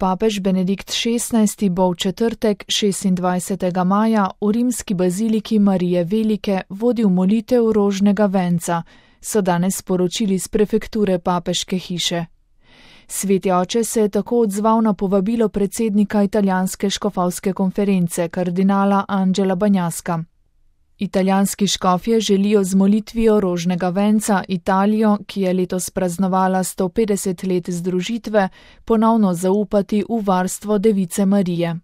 Papež Benedikt XVI. Bo v četrtek 26. maja v rimski baziliki Marije Velike vodil molitev rožnega venca, so danes sporočili z prefekture papeške hiše. Sveti oče se je tako odzval na povabilo predsednika italijanske škofovske konference, kardinala Angela Bagnaska. Italijanski škofje želijo z molitvijo rožnega venca Italijo, ki je letos praznovala 150 let združitve, ponovno zaupati v varstvo Device Marije.